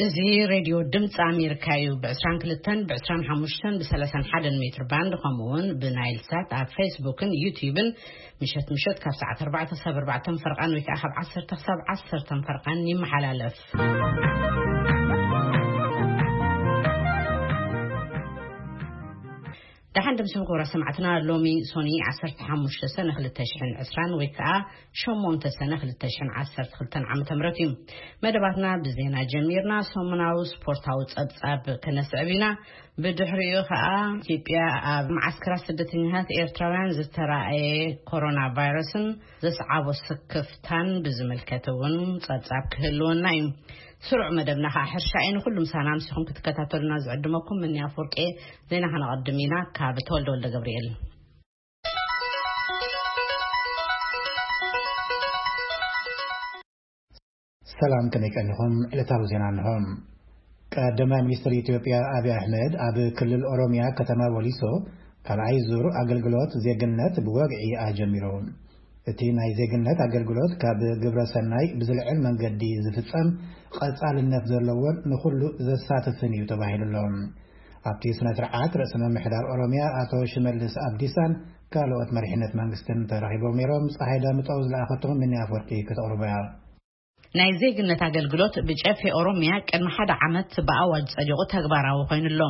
እዚ ሬድዮ ድምፂ ኣሜሪካ እዩ። ብ22፣ ብ25፣ ብ31 ሜትር ባንድ፣ ከምኡ እውን ብናይል ሳት ኣብ ፌስቡክን ዩቲዩብን ምሸት ምሸት ካብ ሰዓት 4 ክሳብ 4 ፈርቓን ወይ ከዓ ካብ 10 ክሳብ 10 ፈርቓን ይመሓላለፍ። ደሓን ድምስም ክቡራ ሰማዕትና፣ ሎሚ ሶኒ 15 ሰነ 2020 ወይ ከዓ 8 ሰነ 2012 ዓመተ ምህረት እዩ። መደባትና ብዜና ጀሚርና፣ ሰሙናዊ ስፖርታዊ ጸብጻብ ከነስዕብ ኢና። ብድሕሪኡ ከዓ ኢትዮጵያ ኣብ መዓስከራት ስደተኛታት ኤርትራውያን ዝተራእየ ኮሮና ቫይረስን ዘስዓቦ ስክፍታን ብዝምልከት እውን ጸብጻብ ክህልወና እዩ። ስሩዕ መደብና ከዓ ሕርሻ እዩ። ንኩሉ ምሳና ምሲኹም ክትከታተሉና ዝዕድመኩም ምንያ ፎርቄ። ዜና ከነቐድም ኢና ካብ ተወልደ ወልደ ገብርኤል። ሰላም፣ ከመይ ቀኒኹም? ዕለታዊ ዜና እንሆ። ቀዳማይ ሚኒስትር ኢትዮጵያ ኣብይ ኣሕመድ ኣብ ክልል ኦሮሚያ ከተማ ወሊሶ ካልኣይ ዙር ኣገልግሎት ዜግነት ብወግዒ ኣጀሚሩ። እቲ ናይ ዜግነት ኣገልግሎት ካብ ግብረ ሰናይ ብዝልዕል መንገዲ ዝፍጸም፣ ቀጻልነት ዘለዎን ንኹሉ ዘሳትፍን እዩ ተባሂሉ ኣሎ። ኣብቲ ስነ ስርዓት ርእሰ ምምሕዳር ኦሮሚያ ኣቶ ሽመልስ ኣብዲሳን ካልኦት መሪሕነት መንግስትን ተረኺቦም ነይሮም። ፀሓይ ዳምጠው ዝለኣኸትኩም ምንያ ኣፈወርቂ ከተቕርቦ እያ። ናይ ዜግነት ኣገልግሎት ብጨፌ ኦሮሚያ ቅድሚ ሓደ ዓመት ብኣዋጅ ጸዲቑ ተግባራዊ ኮይኑ ኣሎ።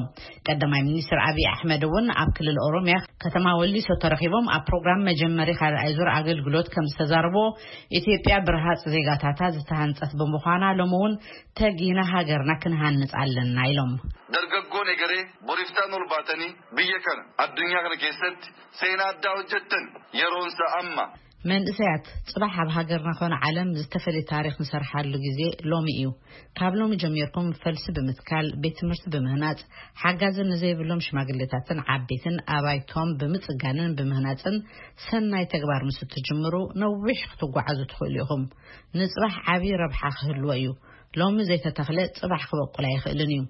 ቀዳማይ ሚኒስትር ኣብይ ኣሕመድ እውን ኣብ ክልል ኦሮሚያ ከተማ ወሊሶ ተረኺቦም ኣብ ፕሮግራም መጀመሪ ካልኣይ ዙር ኣገልግሎት ከም ዝተዛረቦ፣ ኢትዮጵያ ብረሃጽ ዜጋታታ ዝተሃንጸት ብምዃና ሎሚ እውን ተጊና ሃገርና ክንሃንጽ ኣለና ኢሎም። Dargaggoon egeree boriftaan ol baatanii biyya kana addunyaa kana keessatti seenaa addaa hojjettan yeroonsa amma. መንእሰያት፣ ጽባሕ ኣብ ሃገርና ኮነ ዓለም ዝተፈለየ ታሪኽ ንሰርሓሉ ግዜ ሎሚ እዩ። ካብ ሎሚ ጀሚርኩም ፈልሲ ብምትካል፣ ቤት ትምህርቲ ብምህናጽ፣ ሓጋዚ ንዘይብሎም ሽማግሌታትን ዓበይትን ኣባይቶም ብምጽጋንን ብምህናጽን ሰናይ ተግባር ምስ እትጅምሩ ነዊሕ ክትጓዓዙ ትኽእሉ ኢኹም። ንጽባሕ ዓቢ ረብሓ ክህልዎ እዩ። ሎሚ ዘይተተኽለ ጽባሕ ክበቁል ኣይኽእልን እዩ።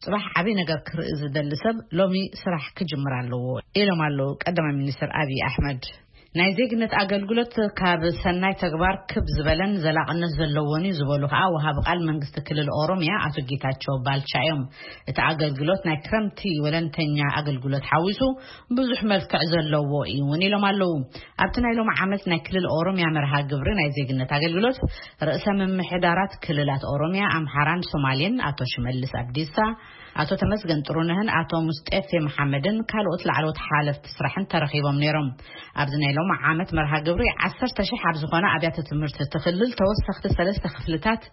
ጽባሕ ዓቢ ነገር ክርኢ ዝደሊ ሰብ ሎሚ ስራሕ ክጅምር ኣለዎ ኢሎም ኣለዉ ቀዳማይ ሚኒስትር ኣብይ ኣሕመድ። ናይ ዜግነት ኣገልግሎት ካብ ሰናይ ተግባር ክብ ዝበለን ዘላቕነት ዘለዎን እዩ ዝበሉ ከዓ ወሃቢ ቃል መንግስቲ ክልል ኦሮሚያ ኣቶ ጌታቸው ባልቻ እዮም። እቲ ኣገልግሎት ናይ ክረምቲ ወለንተኛ ኣገልግሎት ሓዊሱ ብዙሕ መልክዕ ዘለዎ እዩ እውን ኢሎም ኣለዉ። ኣብቲ ናይ ሎሚ ዓመት ናይ ክልል ኦሮሚያ መርሃ ግብሪ ናይ ዜግነት ኣገልግሎት ርእሰ ምምሕዳራት ክልላት ኦሮሚያ፣ ኣምሓራን ሶማሌን ኣቶ ሽመልስ ኣብዲሳ፣ ኣቶ ተመስገን ጥሩነህን ኣቶ ሙስጤፌ መሓመድን ካልኦት ላዕለዎት ሓለፍቲ ስራሕን ተረኺቦም ነይሮም። ኣብዚ ናይ ሎሚ ዓመት መርሃ ግብሪ 10,000 ኣብ ዝኾነ ኣብያተ ትምህርቲ እቲ ክልል ተወሰኽቲ ሰለስተ ክፍልታት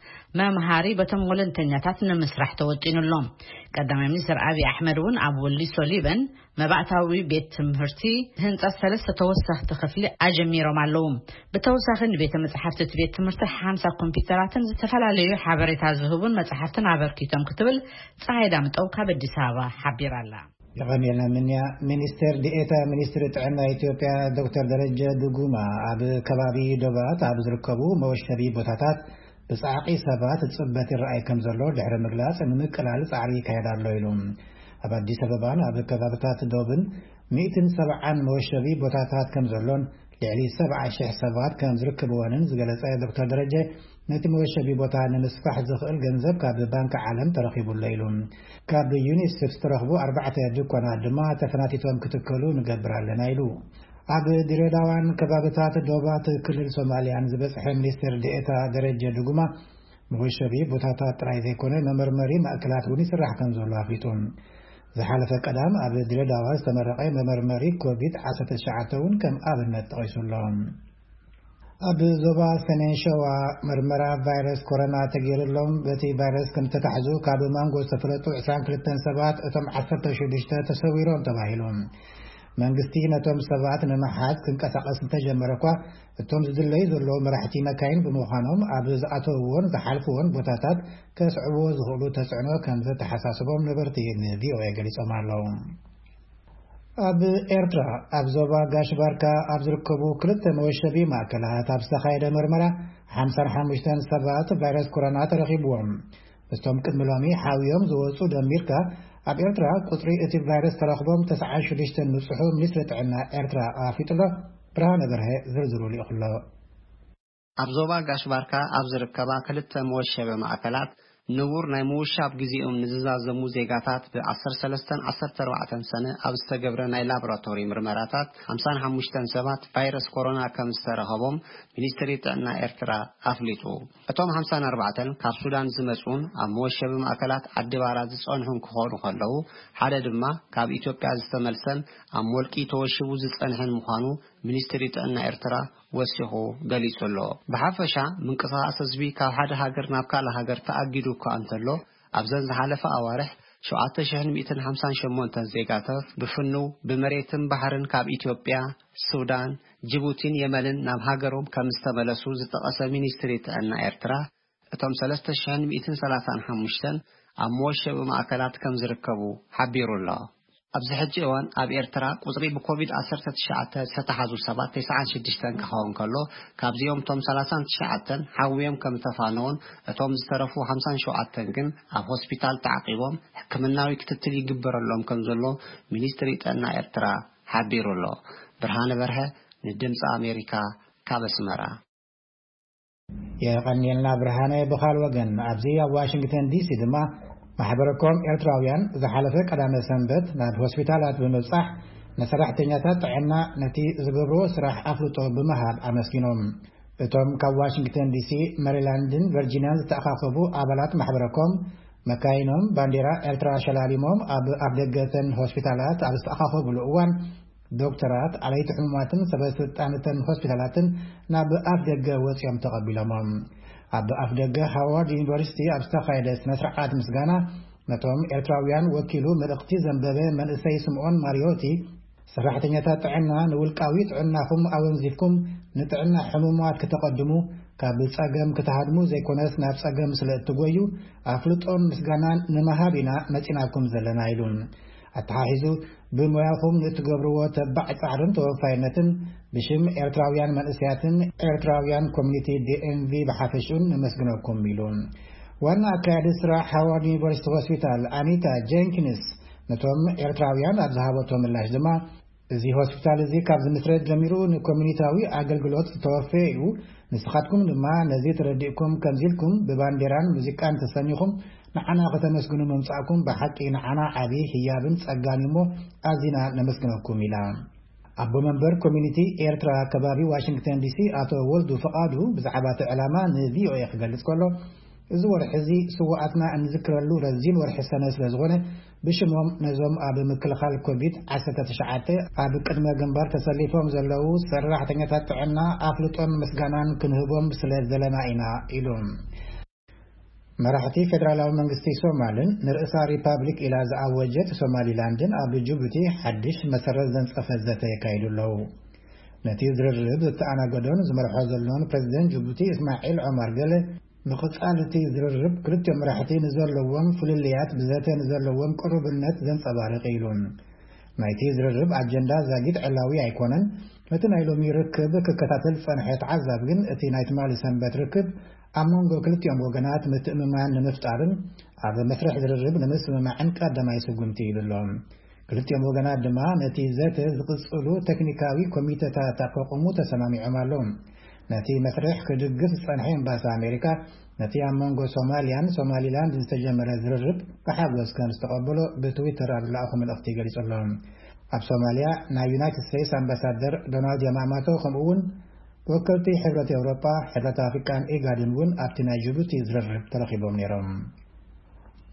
መምሃሪ በቶም ወለንተኛታት ንምስራሕ ተወጢኑ ኣሎ። ቀዳማይ ሚኒስትር ኣብይ ኣሕመድ እውን ኣብ ወሊሶ ሊበን መባእታዊ ቤት ትምህርቲ ህንጸት ሰለስተ ተወሰኽቲ ክፍሊ ኣጀሚሮም ኣለዉ። ብተወሳኺ ንቤተ መጻሕፍቲ እቲ ቤት ትምህርቲ ሓምሳ ኮምፒውተራትን ዝተፈላለዩ ሓበሬታ ዝህቡን መጻሕፍትን ኣበርኪቶም ክትብል ፀሐይ ዳምጠው ካብ ኣዲስ ኣበባ ሓቢራ ኣላ። የቐንየልና ምንያ። ሚኒስቴር ዲኤታ ሚኒስትሪ ጥዕና ኢትዮጵያ ዶክተር ደረጀ ድጉማ ኣብ ከባቢ ዶባት ኣብ ዝርከቡ መወሸቢ ቦታታት ብጻዕቂ ሰባት ጽበት ይረኣይ ከም ዘሎ ድሕሪ ምግላጽ፣ ንምቅላል ጻዕሪ ይካየድ ኣሎ ኢሉ። ኣብ ኣዲስ ኣበባን ኣብ ከባብታት ዶብን 170ን መወሸቢ ቦታታት ከም ዘሎን ልዕሊ 70,000 ሰባት ከም ዝርከብዎንን ዝገለጸ ዶክተር ደረጀ፣ ነቲ መወሸቢ ቦታ ንምስፋሕ ዝኽእል ገንዘብ ካብ ባንክ ዓለም ተረኺቡ ኣሎ ኢሉ። ካብ ዩኒሴፍ ዝተረኽቡ ኣርባዕተ ድኳናት ድማ ተፈናቲቶም ክትከሉ ንገብር ኣለና ኢሉ። ኣብ ድሬዳዋን ከባብታት ዶባት ክልል ሶማልያን ዝበጽሐ ሚኒስትር ዴኤታ ደረጀ ድጉማ፣ መወሸቢ ቦታታት ጥራይ ዘይኮነ መመርመሪ ማእከላት እውን ይስራሕ ከም ዘሎ ኣፍሊጡ። ዝሓለፈ ቀዳም ኣብ ድሬዳዋ ዝተመረቐ መመርመሪ ኮቪድ-19 እውን ከም ኣብነት ተቐይሱ ኣሎ። ኣብ ዞባ ሰሜን ሸዋ መርመራ ቫይረስ ኮሮና ተገይሩሎም በቲ ቫይረስ ከም ዝተታሕዙ ካብ ማንጎ ዝተፈለጡ 22 ሰባት፣ እቶም 16 ተሰዊሮም ተባሂሉ። መንግስቲ ነቶም ሰባት ንምሓዝ ክንቀሳቐስ እንተጀመረ እኳ፣ እቶም ዝድለዩ ዘለዉ መራሕቲ መካይን ብምዃኖም ኣብ ዝኣተውዎን ዝሓልፍዎን ቦታታት ከስዕብዎ ዝኽእሉ ተጽዕኖ ከም ዘተሓሳስቦም ነበርቲ ንቪኦኤ ገሊጾም ኣለዉ። ኣብ ኤርትራ ኣብ ዞባ ጋሽ ባርካ ኣብ ዝርከቡ ክልተ መወሸቢ ማእከላት ኣብ ዝተኻየደ መርመራ ሓምሳን ሓሙሽተን ሰባት ቫይረስ ኮሮና ተረኺብዎም። ምስቶም ቅድሚ ሎሚ ሓውዮም ዝወጹ ደሚርካ፣ ኣብ ኤርትራ ቁጽሪ እቲ ቫይረስ ተረኽቦም ተስዓን ሽዱሽተን ምጽሑ ሚኒስትሪ ጥዕና ኤርትራ ኣፍሊጡ ኣሎ። ብርሃነ በርሀ ዝርዝሩ ልኢኹ ኣሎ። ኣብ ዞባ ጋሽ ባርካ ኣብ ዝርከባ ክልተ መወሸቢ ማእከላት ንቡር ናይ ምውሻብ ግዜኦም ንዝዛዘሙ ዜጋታት ብ ዓሰርተ ሰለስተን ዓሰርተ ኣርባዕተን ሰነ ኣብ ዝተገብረ ናይ ላቦራቶሪ ምርመራታት ሓምሳን ሓሙሽተን ሰባት ቫይረስ ኮሮና ከም ዝተረኸቦም ሚኒስትሪ ጥዕና ኤርትራ ኣፍሊጡ። እቶም ሓምሳን ኣርባዕተን ካብ ሱዳን ዝመጹን ኣብ መወሸቢ ማእከላት ዓዲ ባራ ዝጸንሑን ክኾኑ ከለዉ፣ ሓደ ድማ ካብ ኢትዮጵያ ዝተመልሰን ኣብ ሞልቂ ተወሽቡ ዝጸንሐን ምዃኑ ሚኒስትሪ ጥዕና ኤርትራ ወሲኹ ገሊጹ ኣሎ። ብሓፈሻ ምንቅስቓስ ህዝቢ ካብ ሓደ ሃገር ናብ ካልእ ሃገር ተኣጊዱ እኳ እንተሎ፣ ኣብዘን ዝሓለፈ ኣዋርሕ ሸውዓተ ሽሕን ሚእትን ሓምሳን ሸሞንተን ዜጋታት ብፍኑው ብመሬትን ባሕርን ካብ ኢትዮጵያ፣ ሱዳን፣ ጅቡቲን የመንን ናብ ሃገሮም ከም ዝተመለሱ ዝጠቐሰ ሚኒስትሪ ጥዕና ኤርትራ፣ እቶም ሰለስተ ሽሕን ሚእትን ሰላሳን ሓሙሽተን ኣብ መወሸቢ ማእከላት ከም ዝርከቡ ሓቢሩ ኣሎ። ኣብዚ ሕጂ እዋን ኣብ ኤርትራ ቁጽሪ ብኮቪድ ዓሰርተ ትሽዓተ ዝተተሓዙ ሰባት ተስዓን ሽዱሽተን ክኸውን ከሎ፣ ካብዚኦም እቶም ሰላሳን ትሽዓተን ሓውዮም ከም ዝተፋነውን እቶም ዝተረፉ ሓምሳን ሸውዓተን ግን ኣብ ሆስፒታል ተዓቂቦም ሕክምናዊ ክትትል ይግበረሎም ከም ዘሎ ሚኒስትሪ ጥዕና ኤርትራ ሓቢሩ ኣሎ። ብርሃነ በርሀ ንድምፂ ኣሜሪካ ካብ ኣስመራ። የቐንየልና ብርሃነ። ብኻል ወገን ኣብዚ ኣብ ዋሽንግተን ዲሲ ድማ ማሕበረኮም ኤርትራውያን ዝሓለፈ ቀዳመ ሰንበት ናብ ሆስፒታላት ብምብጻሕ ንሰራሕተኛታት ጥዕና ነቲ ዝገብርዎ ስራሕ ኣፍልጦ ብምሃብ ኣመስጊኖም። እቶም ካብ ዋሽንግተን ዲሲ፣ መሪላንድን ቨርጂኒያን ዝተኣኻኸቡ ኣባላት ማሕበረኮም መካይኖም ባንዴራ ኤርትራ ሸላሊሞም ኣብ ኣፍደገተን ሆስፒታላት ኣብ ዝተኣኻኸብሉ እዋን ዶክተራት፣ ኣለይቲ ሕሙማትን ሰበ ስልጣንተን ሆስፒታላትን ናብ ኣፍ ደገ ወጺኦም ተቐቢሎሞም። ኣብ ኣፍ ደገ ሃዋርድ ዩኒቨርሲቲ ኣብ ዝተኻየደ ስነ ስርዓት ምስጋና ነቶም ኤርትራውያን ወኪሉ መልእኽቲ ዘንበበ መንእሰይ ስምኦን ማሪዮቲ፣ ሰራሕተኛታት ጥዕና ንውልቃዊ ጥዕናኹም ኣወንዚፍኩም ንጥዕና ሕሙማት ክተቐድሙ፣ ካብ ጸገም ክትሃድሙ ዘይኮነስ ናብ ጸገም ስለ እትጎዩ ኣፍልጦን ምስጋናን ንምሃብ ኢና መጺናኩም ዘለና ኢሉ። ኣተሓሒዙ ብሞያኹም ንእትገብርዎ ተባዕ ጻዕርን ተወፋይነትን ብሽም ኤርትራውያን መንእሰያትን ኤርትራውያን ኮሚኒቲ ዲኤምቪ ብሓፈሽኡን ነመስግነኩም ኢሉ። ዋና ኣካያዲ ስራሕ ሃዋርድ ዩኒቨርሲቲ ሆስፒታል ኣኒታ ጀንኪንስ ነቶም ኤርትራውያን ኣብ ዝሃበቶ ምላሽ ድማ፣ እዚ ሆስፒታል እዚ ካብ ዝምስረት ጀሚሩ ንኮሚኒታዊ ኣገልግሎት ዝተወፈየ እዩ። ንስኻትኩም ድማ ነዚ ተረዲእኩም ከምዚ ኢልኩም ብባንዴራን ሙዚቃን ተሰኒኹም ንዓና ከተመስግኑ ምምጻእኩም ብሓቂ ንዓና ዓቢ ህያብን ጸጋን እዩ እሞ ኣዚና ነመስግነኩም ኢላ። ኣቦ መንበር ኮሚኒቲ ኤርትራ ከባቢ ዋሽንግተን ዲሲ ኣቶ ወልዱ ፍቓዱ ብዛዕባ እቲ ዕላማ ንቪኦኤ ክገልጽ ከሎ፣ እዚ ወርሒ እዚ ስውኣትና እንዝክረሉ ረዚን ወርሒ ሰነ ስለ ዝኾነ ብሽሞም ነዞም ኣብ ምክልኻል ኮቪድ ዓሰርተ ትሽዓተ ኣብ ቅድመ ግንባር ተሰሊፎም ዘለዉ ሰራሕተኛታት ጥዕና ኣፍልጦን ምስጋናን ክንህቦም ስለ ዘለና ኢና ኢሉ። መራሕቲ ፌደራላዊ መንግስቲ ሶማልን ንርእሳ ሪፓብሊክ ኢላ ዝኣወጀት ሶማሊላንድን ኣብ ጅቡቲ ሓድሽ መሰረት ዘንጸፈ ዘተ የካይዱ ኣለዉ። ነቲ ዝርርብ ዝተኣናገዶን ዝመርሖ ዘሎን ፕሬዚደንት ጅቡቲ እስማዒል ዖማር ገለ፣ ምቕጻል እቲ ዝርርብ ክልቲኦም መራሕቲ ንዘለዎም ፍልልያት ብዘተ ንዘለዎም ቅሩብነት ዘንጸባርቕ ኢሉ። ናይቲ ዝርርብ ኣጀንዳ ዛጊት ዕላዊ ኣይኮነን። እቲ ናይ ሎሚ ርክብ ክከታተል ዝጸንሐ ተዓዛቢ ግን፣ እቲ ናይ ትማሊ ሰንበት ርክብ ኣብ መንጎ ክልቲኦም ወገናት ምትእምማን ንምፍጣርን ኣብ መስርሕ ዝርርብ ንምስምማዕን ቀዳማይ ስጉምቲ ይብሎ። ክልቲኦም ወገናት ድማ ነቲ ዘተ ዝቕጽሉ ቴክኒካዊ ኮሚተታት ኣቋቑሙ ተሰማሚዖም ኣለዉ። ነቲ መስርሕ ክድግፍ ዝጸንሐ ኤምባሲ ኣሜሪካ፣ ነቲ ኣብ መንጎ ሶማልያን ሶማሊላንድን ዝተጀመረ ዝርርብ ብሓጎስ ከም ዝተቐበሎ ብትዊተር ኣብ ዝለኣኾ መልእኽቲ ገሊጹ ኣሎ። ኣብ ሶማልያ ናይ ዩናይትድ ስቴትስ ኣምባሳደር ዶናልድ ያማማቶ፣ ከምኡ እውን ወከልቲ ሕብረት ኤውሮጳ፣ ሕብረት ኣፍሪቃን ኢጋድን እውን ኣብቲ ናይ ጅቡቲ ዝርርብ ተረኺቦም ነይሮም።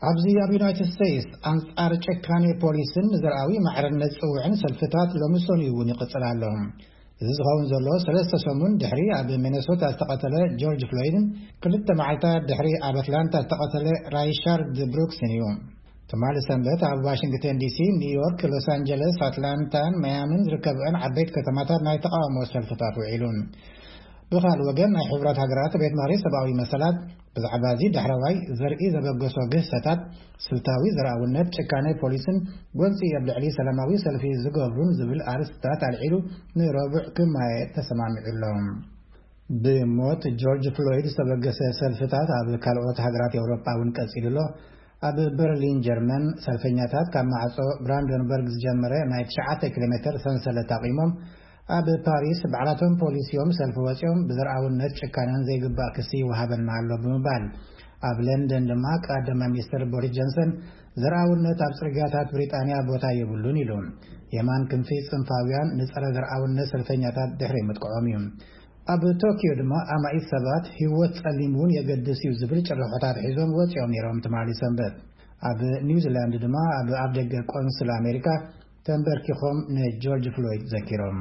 ኣብዚ ኣብ ዩናይትድ ስቴትስ ኣንጻር ጨካኔ ፖሊስን ንዘርኣዊ ማዕርነት ጽውዕን ሰልፍታት ሎሚ ሰኑይ እውን ይቕጽል ኣሎ። እዚ ዝኸውን ዘሎ ሰለስተ ሰሙን ድሕሪ ኣብ ሚነሶታ ዝተቐተለ ጆርጅ ፍሎይድን ክልተ መዓልታት ድሕሪ ኣብ ኣትላንታ ዝተቐተለ ራይሻርድ ብሩክስን እዩ። ትማሊ ሰንበት ኣብ ዋሽንግተን ዲሲ፣ ኒውዮርክ፣ ሎስ ኣንጀለስ፣ ኣትላንታን ማያምን ዝርከብአን ዓበይቲ ከተማታት ናይ ተቓውሞ ሰልፍታት ውዒሉ። ብኻልእ ወገን ናይ ሕቡራት ሃገራት ቤት ምኽሪ ሰብኣዊ መሰላት ብዛዕባ እዚ ዳሕረዋይ ዘርኢ ዘበገሶ ግህሰታት ስልታዊ ዘርኣውነት ጭካኔ ፖሊስን ጎንፂ ኣብ ልዕሊ ሰላማዊ ሰልፊ ዝገብሩን ዝብል ኣርእስትታት ኣልዒሉ ንረቡዕ ክማየ ተሰማሚዑ ኣሎ። ብሞት ጆርጅ ፍሎይድ ዝተበገሰ ሰልፍታት ኣብ ካልኦት ሃገራት ኤውሮጳ እውን ቀፂሉ ኣሎ። ኣብ በርሊን ጀርመን ሰልፈኛታት ካብ ማዕጾ ብራንደንበርግ ዝጀመረ ናይ ትሽዓተ ኪሎ ሜተር ሰንሰለት ኣቑሞም ኣብ ፓሪስ ባዕላቶም ፖሊስ እዮም ሰልፊ ወጺኦም ብዘርኣውነት ጭካነን ዘይግባእ ክሲ ይወሃበና ኣሎ ብምባል ኣብ ለንደን ድማ ቀዳማይ ሚኒስትር ቦሪስ ጆንሰን፣ ዘርኣውነት ኣብ ጽርግያታት ብሪጣንያ ቦታ የብሉን ኢሉ። የማን ክንፊ ጽንፋውያን ንጸረ ዘርኣውነት ሰልፈኛታት ድሕሪ ምጥቅዖም እዩ። ኣብ ቶኪዮ ድማ ኣማኢት ሰባት ህይወት ጸሊም እውን የገድስ እዩ ዝብል ጭርሖታት ሒዞም ወጺኦም ነይሮም ትማሊ ሰንበት። ኣብ ኒውዚላንድ ድማ ኣብ ኣፍደገ ቆንስል ኣሜሪካ ተንበርኪኾም ንጆርጅ ፍሎይድ ዘኪሮም።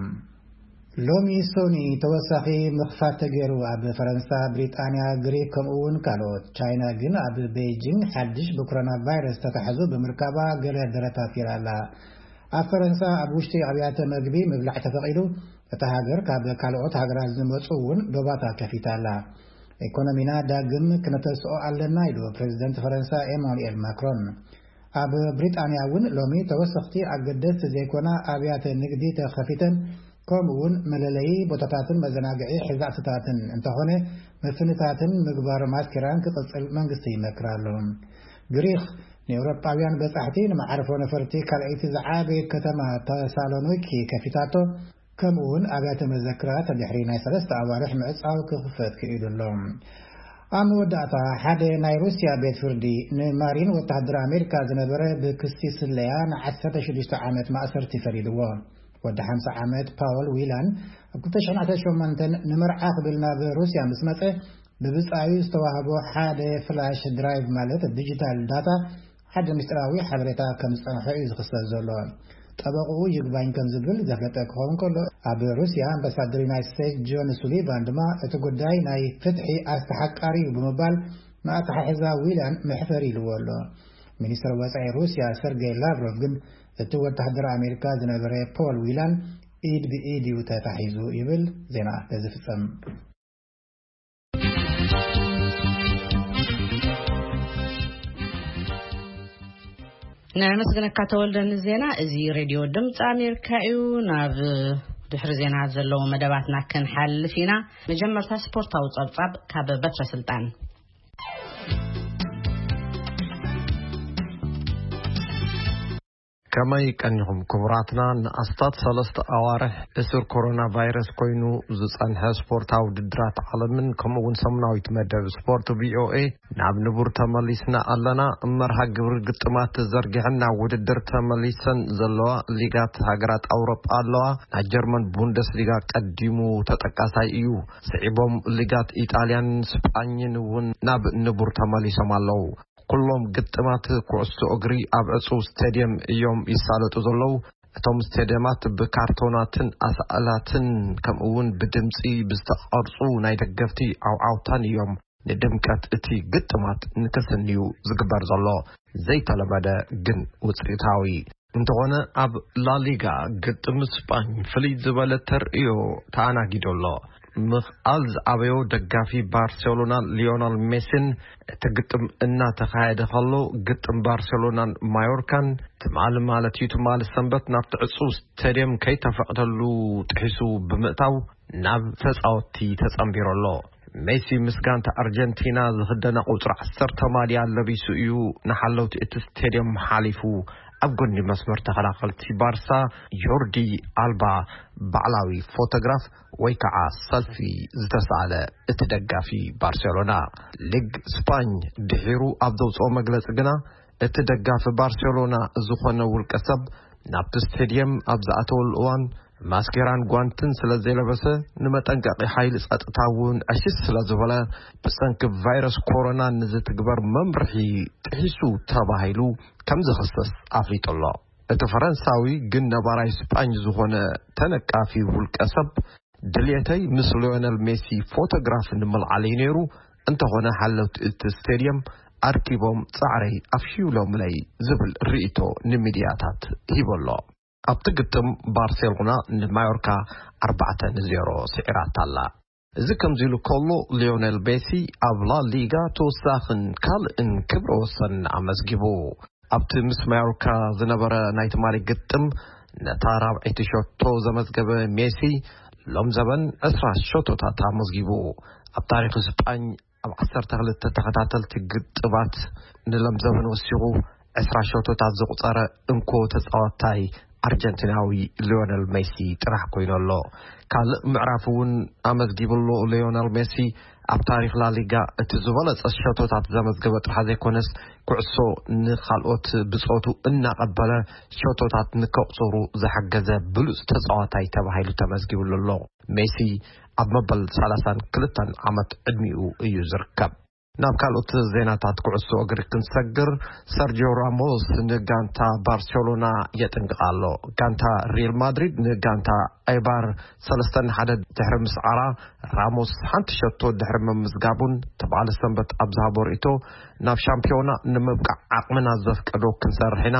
ሎሚ ሶኒ ተወሳኺ ምኽፋት ተገይሩ ኣብ ፈረንሳ፣ ብሪጣንያ፣ ግሪክ ከምኡ እውን ካልኦት። ቻይና ግን ኣብ ቤይጂንግ ሓድሽ ብኮሮና ቫይረስ ተታሕዙ ብምርካባ ገለ ደረታት ይራ ኣላ። ኣብ ፈረንሳ ኣብ ውሽጢ ኣብያተ መግቢ ምብላዕ ተፈቒዱ። እታ ሃገር ካብ ካልኦት ሃገራት ዝመፁ እውን ዶባታ ከፊታ ኣላ። ኢኮኖሚና ዳግም ክነተስኦ ኣለና ኢሉ ፕሬዚደንት ፈረንሳ ኤማኑኤል ማክሮን። ኣብ ብሪጣንያ እውን ሎሚ ተወሰኽቲ ኣገደስቲ ዘይኮና ኣብያተ ንግዲ ተኸፊተን፣ ከምኡ እውን መለለዪ ቦታታትን መዘናግዒ ሕዛእትታትን እንተኾነ፣ ምፍንታትን ምግባር ማስኬራን ክቕፅል መንግስቲ ይመክር ኣሎ። ግሪክ ንኤውሮጳውያን በጻሕቲ ንመዓርፎ ነፈርቲ ካልኣይቲ ዝዓበየት ከተማ ተሳሎኒኪ ከፊታቶ፣ ከምኡ እውን ኣብያተ መዘክራት ድሕሪ ናይ ሰለስተ ኣዋርሕ ምዕጻው ክኽፈት ክኢሉ ኣሎ። ኣብ መወዳእታ፣ ሓደ ናይ ሩስያ ቤት ፍርዲ ንማሪን ወተሃደር ኣሜሪካ ዝነበረ ብክሲ ስለያ ን ዓሰርተ ሽዱሽተ ዓመት ማእሰርቲ ፈሪድዎ። ወዲ ሓምሳ ዓመት ፓወል ዊላን ኣብ ክልተ ሽሕን ዓሰርተ ሸሞንተን ንመርዓ ክብል ናብ ሩስያ ምስ መጸ፣ ብብጻዩ ዝተዋህቦ ሓደ ፍላሽ ድራይቭ ማለት ዲጂታል ዳታ ሓደ ምስጢራዊ ሓበሬታ ከም ዝጸንሖ እዩ ዝኽሰስ ዘሎ። ጠበቕኡ ይግባኝ ከም ዝብል ዘፍለጠ ክኸውን ከሎ፣ ኣብ ሩስያ ኣምባሳደር ዩናይትድ ስቴትስ ጆን ሱሊቫን ድማ እቲ ጉዳይ ናይ ፍትሒ ኣስተሓቃሪ እዩ ብምባል ንኣተሓሕዛ ዊላን መሕፈሪ ኢልዎ ኣሎ። ሚኒስትር ወጻኢ ሩስያ ሰርጌይ ላቭሮቭ ግን እቲ ወተሃደር ኣሜሪካ ዝነበረ ፖል ዊላን ኢድ ብኢድ እዩ ተታሒዙ ይብል። ዜና ተዝፍጸም። ነመስግነካ ተወልደ ንዜና። እዚ ሬድዮ ድምፂ ኣሜሪካ እዩ። ናብ ድሕሪ ዜና ዘለዉ መደባትና ክንሓልፍ ኢና። መጀመርታ ስፖርታዊ ጸብጻብ ካብ በትረ ስልጣን። ከመይ ቀኒኹም ክቡራትና? ንኣስታት ሰለስተ ኣዋርሕ እስር ኮሮና ቫይረስ ኮይኑ ዝጸንሐ ስፖርታዊ ውድድራት ዓለምን ከምኡ እውን ሰሙናዊት መደብ ስፖርት ቪኦኤ ናብ ንቡር ተመሊስና ኣለና። መርሃ ግብሪ ግጥማት ተዘርጊሐን ናብ ውድድር ተመሊሰን ዘለዋ ሊጋት ሃገራት ኣውሮጳ ኣለዋ። ናይ ጀርመን ቡንደስሊጋ ቀዲሙ ተጠቃሳይ እዩ። ስዒቦም ሊጋት ኢጣልያን ስጳኝን እውን ናብ ንቡር ተመሊሶም ኣለዉ። ኩሎም ግጥማት ኩዕሶ እግሪ ኣብ ዕጹው ስቴድየም እዮም ይሳለጡ ዘለዉ። እቶም ስቴድየማት ብካርቶናትን ኣስኣላትን ከምኡ እውን ብድምጺ ብዝተቐርጹ ናይ ደገፍቲ ዓውዓውታን እዮም ንድምቀት እቲ ግጥማት ንክስንዩ ዝግበር ዘሎ ዘይተለመደ ግን ውፅኢታዊ። እንተኾነ ኣብ ላሊጋ ግጥም ስጳኝ ፍልይ ዝበለ ተርእዮ ተኣናጊዱ ኣሎ። ምኽኣል ዝኣበዮ ደጋፊ ባርሴሎና ሊዮናል ሜሲን እቲ ግጥም እናተኻየደ ከሎ ግጥም ባርሴሎናን ማዮርካን ትማሊ ማለት እዩ ትማሊ ሰንበት ናብቲ ዕጹው ስቴድየም ከይተፈቕደሉ ጥሒሱ ብምእታው ናብ ተጻወትቲ ተጸንቢሩ ኣሎ። ሜሲ ምስ ጋንታ ኣርጀንቲና ዝኽደና ቁጽሪ ዓሰርተ ማልያ ለቢሱ እዩ ንሓለውቲ እቲ ስቴድየም ሓሊፉ ኣብ ጎኒ መስመር ተኸላኸልቲ ባርሳ ጆርዲ ኣልባ ባዕላዊ ፎቶግራፍ ወይ ከዓ ሰልፊ ዝተሳእለ እቲ ደጋፊ ባርሴሎና። ሊግ ስፓኝ ድሒሩ ኣብ ዘውፅኦ መግለፂ ግና እቲ ደጋፊ ባርሴሎና ዝኾነ ውልቀ ሰብ ናብቲ ስቴድየም ኣብ ዝኣተወሉ እዋን ማስኬራን ጓንትን ስለ ዘይለበሰ ንመጠንቀቒ ሓይሊ ፀጥታ እውን ዕሽሽ ስለ ዝበለ ብሰንኪ ቫይረስ ኮሮና ንዝትግበር መምርሒ ጥሒሱ ተባሂሉ ከም ዝኽሰስ ኣፍሊጡ ኣሎ። እቲ ፈረንሳዊ ግን ነባራይ ስጳኝ ዝኾነ ተነቃፊ ውልቀ ሰብ ድልየተይ ምስ ሊዮነል ሜሲ ፎቶግራፍ ንምልዓል እዩ ነይሩ፣ እንተኾነ ሓለውቲ እቲ ስቴድየም ኣርኪቦም ጻዕረይ ኣፍሽዩሎምለይ ዝብል ርእይቶ ንሚድያታት ሂቡ ኣሎ። ኣብቲ ግጥም ባርሴሎና ንማዮርካ ኣርባዕተ ንዜሮ ስዒራታ ኣላ። እዚ ከምዚ ኢሉ ከሎ ሊዮነል ሜሲ ኣብ ላ ሊጋ ተወሳኽን ካልእን ክብረ ወሰን ኣመዝጊቡ። ኣብቲ ምስ ማዮርካ ዝነበረ ናይ ትማሊ ግጥም ነታ ራብዐይቲ ሸቶ ዘመዝገበ ሜሲ ሎም ዘበን ዕስራ ሸቶታት ኣመዝጊቡ። ኣብ ታሪኽ ስጳኝ ኣብ ዓሰርተ ክልተ ተኸታተልቲ ግጥማት ንሎም ዘበን ወሲኹ ዕስራ ሸቶታት ዘቑጸረ እንኮ ተጻዋታይ ኣርጀንቲናዊ ሊዮነል ሜሲ ጥራሕ ኮይኑ ኣሎ። ካልእ ምዕራፍ እውን ኣመዝጊብሉ። ሊዮነል ሜሲ ኣብ ታሪኽ ላሊጋ እቲ ዝበለጸ ሸቶታት ዘመዝገበ ጥራሕ ዘይኮነስ፣ ኩዕሶ ንኻልኦት ብጾቱ እናቐበለ ሸቶታት ንከቑጽሩ ዝሓገዘ ብሉጽ ተጻዋታይ ተባሂሉ ተመዝጊብሉ ኣሎ። ሜሲ ኣብ መበል ሰላሳን ክልተን ዓመት ዕድሚኡ እዩ ዝርከብ። ናብ ካልኦት ዜናታት ኩዕሶ እግሪ ክንሰግር፣ ሰርጂዮ ራሞስ ንጋንታ ባርሴሎና የጥንቅቕ ኣሎ። ጋንታ ሪል ማድሪድ ንጋንታ ኤባር ሰለስተ ንሓደ ድሕሪ ምስዓራ፣ ራሞስ ሓንቲ ሸቶ ድሕሪ ምምዝጋቡን ትበዓል ሰንበት ኣብ ዝሃቦ ርእይቶ፣ ናብ ሻምፒዮና ንምብቃዕ ዓቕምና ዘፍቀዶ ክንሰርሕ ኢና።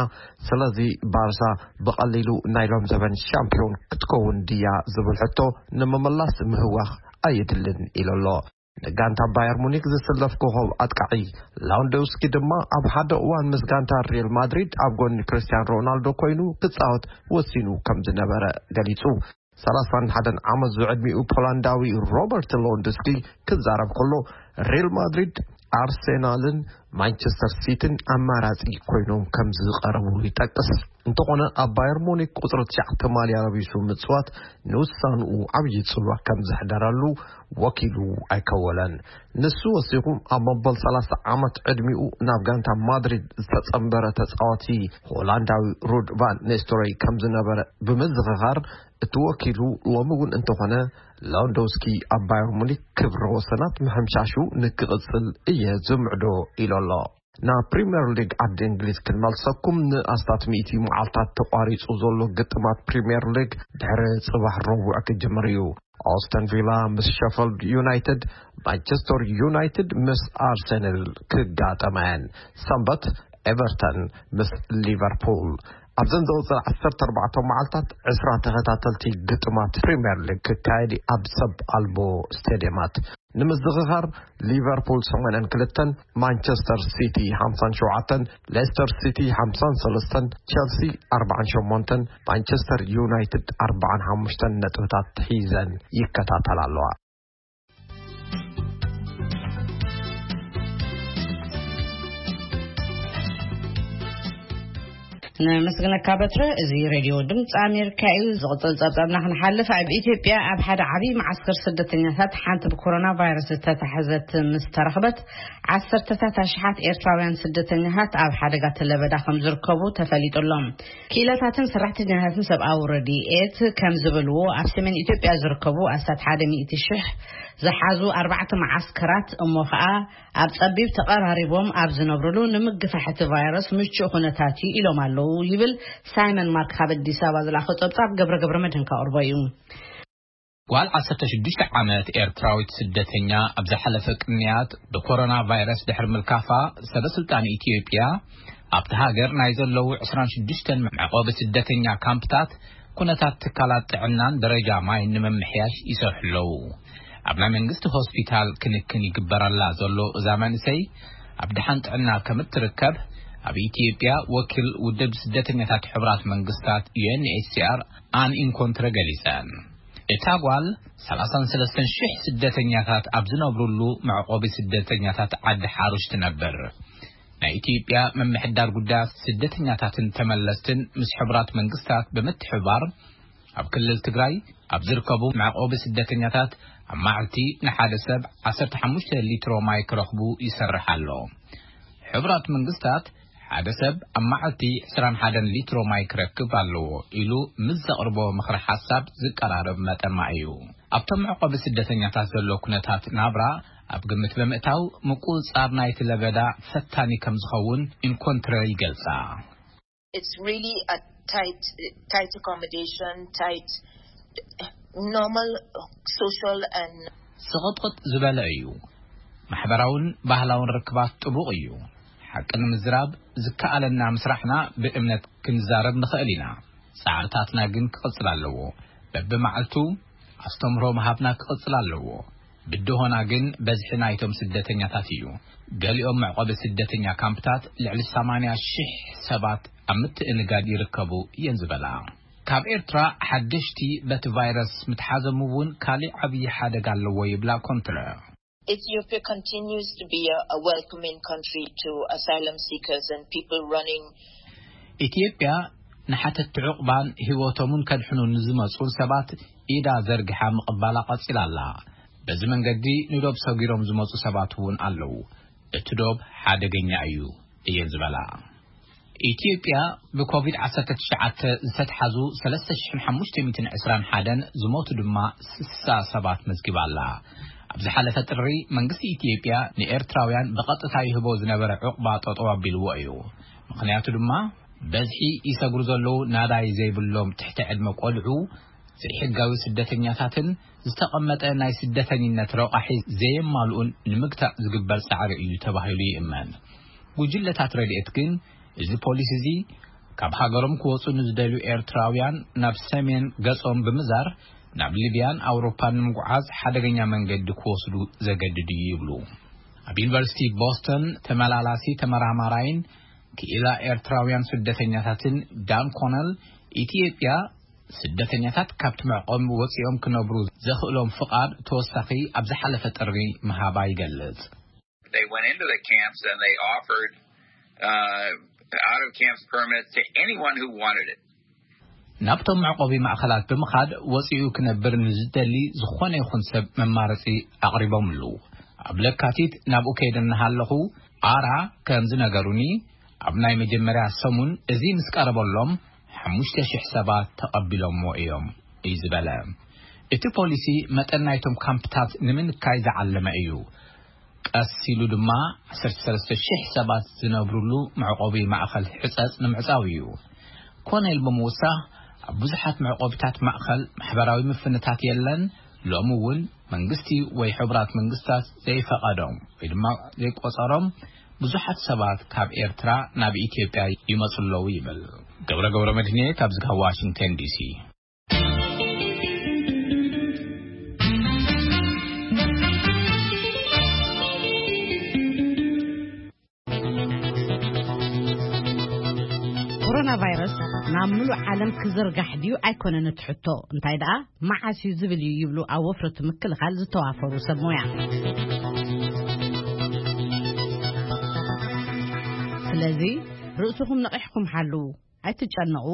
ስለዚ ባርሳ ብቐሊሉ ናይ ሎም ዘበን ሻምፒዮን ክትከውን ድያ ዝብል ሕቶ ንምምላስ ምህዋኽ ኣየድልን ኢሉ ኣሎ። ንጋንታ ባየር ሙኒክ ዝስለፍ ኮኸብ ኣጥቃዒ ላውንዶውስኪ ድማ ኣብ ሓደ እዋን ምስ ጋንታ ሪል ማድሪድ ኣብ ጎኒ ክርስቲያን ሮናልዶ ኮይኑ ክጻወት ወሲኑ ከም ዝነበረ ገሊጹ። ሰላሳን ሓደን ዓመት ዝዕድሚኡ ፖላንዳዊ ሮበርት ሎንዶስኪ ክዛረብ ከሎ፣ ሪል ማድሪድ፣ ኣርሴናልን ማንቸስተር ሲቲን ኣማራጺ ኮይኖም ከም ዝቐረቡ ይጠቅስ። እንተኾነ፣ ኣብ ባየር ሙኒክ ቁጽሪ ትሽዓተ ማልያ ለቢሱ ምጽዋት ንውሳንኡ ዓብዪ ጽልዋ ከም ዘሕደረሉ ወኪሉ ኣይከወለን። ንሱ ወሲኹ፣ ኣብ መበል ሰላሳ ዓመት ዕድሚኡ ናብ ጋንታ ማድሪድ ዝተጸንበረ ተጻዋቲ ሆላንዳዊ ሩድ ቫን ኒስተሮይ ከም ዝነበረ ብምዝኽኻር፣ እቲ ወኪሉ ሎሚ እውን እንተኾነ ላውንዶውስኪ ኣብ ባየር ሙኒክ ክብረ ወሰናት ምሕምሻሹ ንክቕጽል እየ ዝምዕዶ ኢሉ ኣሎ። ናብ ፕሪምየር ሊግ ዓዲ እንግሊዝ ክንመልሰኩም። ንኣስታት ሚእቲ መዓልታት ተቋሪጹ ዘሎ ግጥማት ፕሪምየር ሊግ ድሕሪ ጽባሕ ረቡዕ ክጅምር እዩ። ኦስተን ቪላ ምስ ሸፈልድ ዩናይትድ፣ ማንቸስተር ዩናይትድ ምስ ኣርሰናል ክጋጠማ እየን። ሰንበት ኤቨርተን ምስ ሊቨርፑል። ኣብዘን ዝቕጽል ዓሰርተ ኣርባዕተ መዓልታት ዕስራ ተኸታተልቲ ግጥማት ፕሪምየር ሊግ ክካየድ እዩ ኣብ ሰብ ኣልቦ ስቴድየማት። ንምዝኽኻር፣ ሊቨርፑል ሰማንያን ክልተን፣ ማንቸስተር ሲቲ ሓምሳን ሸውዓተን፣ ሌስተር ሲቲ ሓምሳን ሰለስተን፣ ቸልሲ ኣርባዓን ሸሞንተን፣ ማንቸስተር ዩናይትድ ኣርባዓን ሓሙሽተን ነጥብታት ሒዘን ይከታተላ ኣለዋ። ነመስግነካ በትረ። እዚ ሬድዮ ድምፂ ኣሜሪካ እዩ። ዝቕፅል ፀብፃብና ክንሓልፍ፣ ኣብ ኢትዮጵያ ኣብ ሓደ ዓብዪ መዓስከር ስደተኛታት ሓንቲ ብኮሮና ቫይረስ ዝተታሕዘት ምስ ተረኽበት፣ ዓሰርተታት ኣሽሓት ኤርትራውያን ስደተኛታት ኣብ ሓደጋ ለበዳ ከም ዝርከቡ ተፈሊጡ ኣሎ። ክኢላታትን ሰራሕተኛታትን ሰብኣዊ ረድኤት ከም ዝበልዎ፣ ኣብ ሰሜን ኢትዮጵያ ዝርከቡ ኣስታት ሓደ ሚእቲ ሽሕ ዝሓዙ ኣርባዕተ መዓስከራት፣ እሞ ኸኣ ኣብ ጸቢብ ተቐራሪቦም ኣብ ዝነብርሉ ንምግፋሕ እቲ ቫይረስ ምቹእ ኩነታት እዩ ኢሎም ኣለዉ ይብል ሳይመን ማርክ ካብ ኣዲስ ኣበባ ዝለኣኾ ጸብጻብ። ገብረ ገብረ መድህን ከቕርቦ እዩ። ጓል ዓሰርተ ሽዱሽተ ዓመት ኤርትራዊት ስደተኛ ኣብ ዝሓለፈ ቅንያት ብኮሮና ቫይረስ ድሕሪ ምልካፋ፣ ሰበ ስልጣን ኢትዮጵያ ኣብቲ ሃገር ናይ ዘለዉ ዕስራን ሽዱሽተን መዕቆቢ ስደተኛ ካምፕታት ኩነታት ትካላት ጥዕናን ደረጃ ማይን ንምምሕያሽ ይሰርሑ ኣለዉ። ኣብ ናይ መንግስቲ ሆስፒታል ክንክን ይግበረላ ዘሎ እዛ መንእሰይ ኣብ ደሓን ጥዕና ከም እትርከብ ኣብ ኢትዮጵያ ወኪል ውድብ ስደተኛታት ሕቡራት መንግስታት ዩ ኤን ኤች ሲ ኣር ኣን ኢንኮንትረ ገሊጸን። እታ ጓል ሰላሳን ሰለስተን ሽሕ ስደተኛታት ኣብ ዝነብሩሉ መዕቆቢ ስደተኛታት ዓዲ ሓሩሽ ትነብር። ናይ ኢትዮጵያ ምምሕዳር ጉዳያት ስደተኛታትን ተመለስትን ምስ ሕቡራት መንግስታት ብምትሕብባር ኣብ ክልል ትግራይ ኣብ ዝርከቡ መዕቆቢ ስደተኛታት ኣብ መዓልቲ ንሓደ ሰብ ዓሰርተ ሓሙሽተ ሊትሮ ማይ ክረኽቡ ይሰርሕ ኣሎ። ሕቡራት መንግስታት ሓደ ሰብ ኣብ መዓልቲ ዕስራን ሓደን ሊትሮ ማይ ክረክብ ኣለዎ ኢሉ ምስ ዘቕርቦ ምኽሪ ሓሳብ ዝቀራረብ መጠን ማይ እዩ። ኣብቶም መዕቆቢ ስደተኛታት ዘሎ ኩነታት ናብራ ኣብ ግምት ብምእታው ምቁጽጻር ናይቲ ለበዳ ፈታኒ ከም ዝኸውን ኢንኮንትረ ይገልጻ። It's really a tight, tight accommodation, tight, normal social and ስቕጥቕጥ ዝበለ እዩ። ማሕበራውን ባህላውን ርክባት ጥቡቕ እዩ። ሓቂ ንምዝራብ ዝከኣለና ምስራሕና ብእምነት ክንዛረብ ንኽእል ኢና። ጻዕርታትና ግን ክቕጽል ኣለዎ። በብመዓልቱ ኣስተምህሮ ምሃብና ክቕጽል ኣለዎ። ብድሆና ግን በዝሒ ናይቶም ስደተኛታት እዩ። ገሊኦም መዕቆቢ ስደተኛ ካምፕታት ልዕሊ ሰማንያ ሽሕ ሰባት ኣብ ምትእንጋድ ይርከቡ እየን ዝበላ። ካብ ኤርትራ ሓደሽቲ በቲ ቫይረስ ምትሓዞም እውን ካሊእ ዓብዪ ሓደጋ ኣለዎ ይብላ ኮንትረ። Ethiopia continues to be a, a welcoming country to asylum seekers and people running. ኢትዮጵያ ንሓተቲ ዕቑባን ህይወቶምን ከድሕኑ ንዝመጹን ሰባት ኢዳ ዘርጊሓ ምቕባላ ቀጺላ ኣላ። በዚ መንገዲ ንዶብ ሰጒሮም ዝመጹ ሰባት እውን ኣለዉ። እቲ ዶብ ሓደገኛ እዩ እየን ዝበላ። ኢትዮጵያ ብኮቪድ ዓሰርተ ትሽዓተ ዝተትሓዙ ሰለስተ ሽሕን ሓሙሽተ ሚእትን ዕስራን ሓደን፣ ዝሞቱ ድማ ስሳ ሰባት መዝጊባ ኣላ። ኣብ ዝሓለፈ ጥሪ መንግስቲ ኢትዮጵያ ንኤርትራውያን ብቐጥታ ይህቦ ዝነበረ ዕቑባ ጠጠው ኣቢልዎ እዩ። ምኽንያቱ ድማ በዝሒ ይሰግሩ ዘለዉ ናዳይ ዘይብሎም ትሕቲ ዕድመ ቆልዑ፣ ዘይሕጋዊ ስደተኛታትን ዝተቐመጠ ናይ ስደተኝነት ረቋሒ ዘየማልኡን ንምግታእ ዝግበር ጻዕሪ እዩ ተባሂሉ ይእመን። ጉጅለታት ረድኤት ግን እዚ ፖሊሲ እዚ ካብ ሃገሮም ክወጹ ንዝደልዩ ኤርትራውያን ናብ ሰሜን ገጾም ብምዛር ናብ ሊብያን ኣውሮፓን ንምጉዓዝ ሓደገኛ መንገዲ ክወስዱ ዘገድድ እዩ ይብሉ። ኣብ ዩኒቨርሲቲ ቦስተን ተመላላሲ ተመራማራይን ክኢላ ኤርትራውያን ስደተኛታትን ዳን ኮነል፣ ኢትዮጵያ ስደተኛታት ካብቲ መዕቆቢ ወጺኦም ክነብሩ ዘኽእሎም ፍቓድ ተወሳኺ ኣብ ዝሓለፈ ጥሪ ምሃባ ይገልጽ። They went into the camps and they offered uh, out of camps permits to anyone who wanted it. ናብቶም መዕቆቢ ማእኸላት ብምኻድ ወፂኡ ክነብር ንዝደሊ ዝኾነ ይኹን ሰብ መማረፂ ኣቕሪቦምሉ። ኣብ ለካቲት ናብኡ ከይደ እናሃለኹ ኣራ ከም ዝነገሩኒ፣ ኣብ ናይ መጀመርያ ሰሙን እዚ ምስ ቀረበሎም ሓሙሽተ ሽሕ ሰባት ተቐቢሎምዎ እዮም እዩ ዝበለ። እቲ ፖሊሲ መጠን ናይቶም ካምፕታት ንምንካይ ዝዓለመ እዩ። ቀስ ኢሉ ድማ ዓሰርተ ሰለስተ ሽሕ ሰባት ዝነብሩሉ መዕቆቢ ማእኸል ሕፀፅ ንምዕፃው እዩ። ኮነ ኢሉ ብምውሳኽ ኣብ ብዙሓት መዕቆቢታት ማእኸል ማሕበራዊ ምፍንታት የለን። ሎሚ እውን መንግስቲ ወይ ሕቡራት መንግስታት ዘይፈቐዶም ወይ ድማ ዘይቆፀሮም ብዙሓት ሰባት ካብ ኤርትራ ናብ ኢትዮጵያ ይመፁ ኣለዉ ይብል። ገብረ ገብረ መድህንየ ካብዚ ካብ ዋሽንግተን ዲሲ። ኮሮና ቫይረስ ናብ ምሉእ ዓለም ክዝርጋሕ ድዩ ኣይኮነን እቲ ሕቶ፣ እንታይ ደኣ መዓስ እዩ ዝብል እዩ ይብሉ ኣብ ወፍሪ እቲ ምክልኻል ዝተዋፈሩ ሰብ ሞያ። ስለዚ ርእስኹም ነቒሕኩም ሓልዉ፣ ኣይትጨነቑ፣